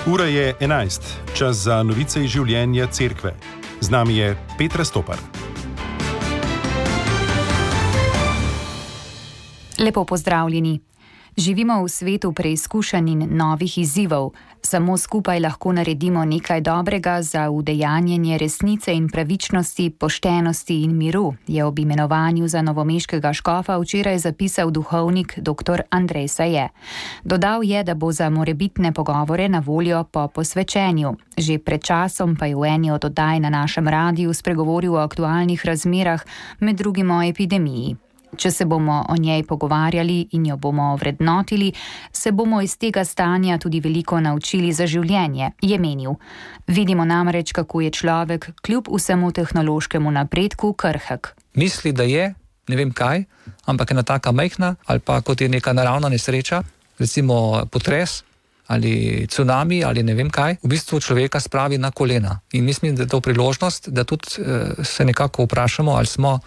Ura je 11, čas za novice iz življenja cerkve. Z nami je Petra Stopar. Lepo pozdravljeni. Živimo v svetu preizkušenj in novih izzivov. Samo skupaj lahko naredimo nekaj dobrega za udejanjenje resnice in pravičnosti, poštenosti in miru, je ob imenovanju za novomeškega škofa včeraj zapisal duhovnik dr. Andrej Saje. Dodal je, da bo za morebitne pogovore na voljo po posvečenju. Že pred časom pa je v eni od oddaj na našem radiju spregovoril o aktualnih razmerah, med drugim o epidemiji. Če se bomo o njej pogovarjali in jo bomo vrednotili, se bomo iz tega stanja tudi veliko naučili za življenje, je menil. Vidimo namreč, kako je človek kljub vsemu tehnološkemu napredku krhek. Misli, da je, ne vem kaj, ampak je ena taka majhna ali pa kot je neka naravna nesreča, recimo potres ali cunami ali ne vem kaj, v bistvu človeka spravi na kolena. In mislim, da je to priložnost, da tudi se nekako vprašamo, ali smo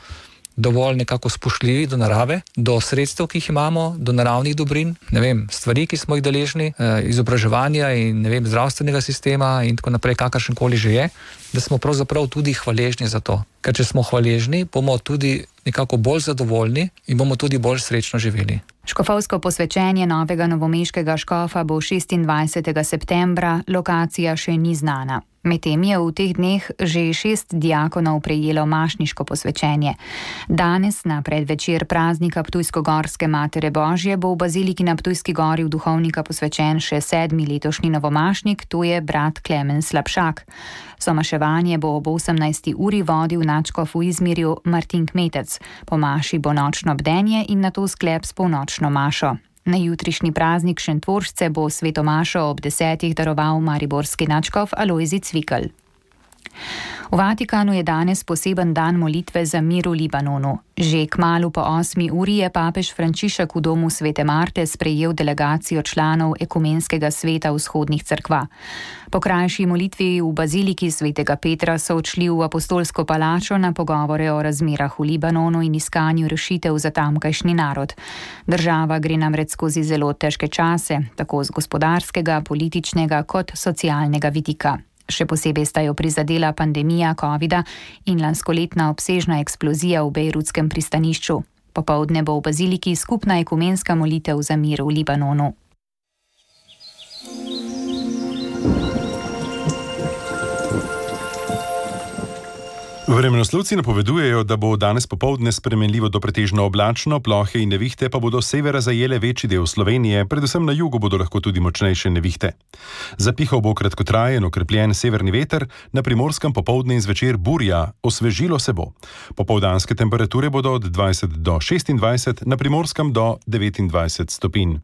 dovolj nekako spoštljivi do narave, do sredstev, ki jih imamo, do naravnih dobrin, ne vem, stvari, ki smo jih deležni, izobraževanja in ne vem, zdravstvenega sistema in tako naprej, kakršenkoli že je, da smo pravzaprav tudi hvaležni za to. Ker če smo hvaležni, bomo tudi nekako bolj zadovoljni in bomo tudi bolj srečno živeli. Škofovsko posvečenje novega novomeškega škofa bo 26. septembra, lokacija še ni znana. Medtem je v teh dneh že 6 diakonov prejelo mašniško posvečenje. Danes, na predvečer praznika Ptujsko-Gorske Matere Božje, bo v baziliki na Ptujski gori v duhovnika posvečen še 7. letošnji novomašnik, to je brat Klemen Slapšak. Somaševanje bo ob 18. uri vodil nadškof v Izmirju Martin Kmetec. Po maši bo nočno bdenje in nato sklep s polnočno mašo. Na jutrišnji praznik Šentvoržce bo sveto mašo ob 10. daroval mariborski nadškof Alojzij Cvikl. V Vatikanu je danes poseben dan molitve za mir v Libanonu. Že kmalu po 8. uri je papež Frančišek v domu Svete Marte sprejel delegacijo članov Ekumenskega sveta vzhodnih cerkva. Po krajši molitvi v baziliki Svetega Petra so odšli v apostolsko palačo na pogovore o razmerah v Libanonu in iskanju rešitev za tamkajšnji narod. Država gre namreč skozi zelo težke čase, tako z gospodarskega, političnega kot socialnega vidika. Še posebej sta jo prizadela pandemija covida in lanskoletna obsežna eksplozija v bejrutskem pristanišču. Popoldne bo v baziliki skupna ekumenska molitev za mir v Libanonu. Vremenoslovci napovedujejo, da bo danes popoldne spremenljivo do pretežno oblačno, plohe in nevihte pa bodo s severa zajele večji del Slovenije, predvsem na jugu bodo lahko tudi močnejše nevihte. Zapihal bo kratkotrajen, okrepljen severni veter, na Primorskem popoldne in zvečer burja, osvežilo se bo. Popoldanske temperature bodo od 20 do 26, na Primorskem do 29 stopinj.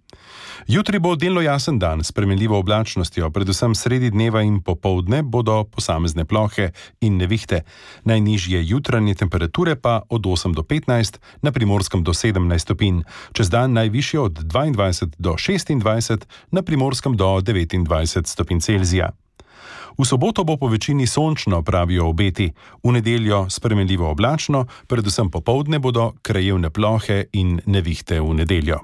Jutri bo delno jasen dan s spremenljivo oblačnostjo, predvsem sredi dneva in popoldne bodo posamezne plohe in nevihte. Najnižje jutranje temperature pa od 8 do 15, na Primorskem do 17 stopinj, čez dan najvišje od 22 do 26, na Primorskem do 29 stopinj Celzija. V soboto bo po večini sončno, pravijo obeti, v nedeljo spremenljivo oblačno, predvsem popoldne bodo krajevne plohe in nevihte v nedeljo.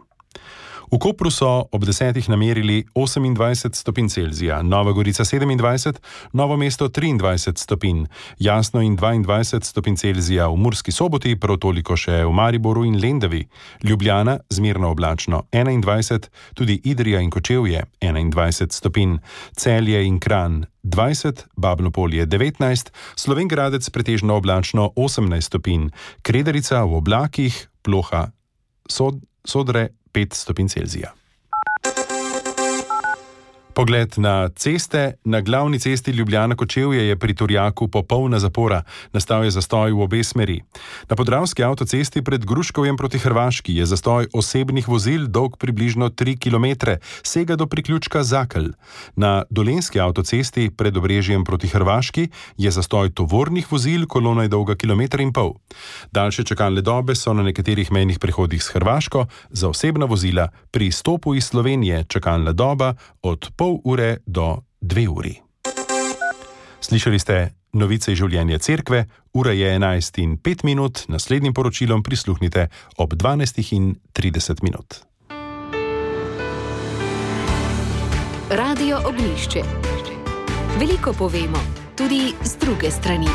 V Kopru so ob 10. namerili 28 stopinj Celzija, Nova Gorica 27, Novo mesto 23 stopinj, Jasno in 22 stopinj Celzija v Murski Soboti, prav toliko še v Mariboru in Lendavi, Ljubljana zmerno oblačno 21, tudi Idrija in Kočevje 21 stopinj, Celje in Kranj 20, Babno Polje 19, Slovenj Gradec pretežno oblačno 18 stopinj, Kredarica v oblakih, ploha Sodre 5 stopinj Celzija. Pogled na ceste. Na glavni cesti Ljubljana-Kočevje je pri Turjaku popolna zapora. Nastal je zastoj v obe smeri. Na Podravski avtocesti pred Gruškovjem proti Hrvaški je zastoj osebnih vozil dolg približno 3 km, sega do priključka Zakelj. Na Dolenjski avtocesti pred Obrežjem proti Hrvaški je zastoj tovornih vozil, kolona je dolga 1,5 km. Daljše čakalne dobe so na nekaterih mejnih prehodih s Hrvaško, za osebna vozila pri izstopu iz Slovenije čakalna doba od pol ure do 2 uri. Slišali ste novice iz življenja cerkve, ura je 11:05, naslednjim poročilom prisluhnite ob 12:30. Radio Ognjišče. Veliko povemo, tudi z druge strani.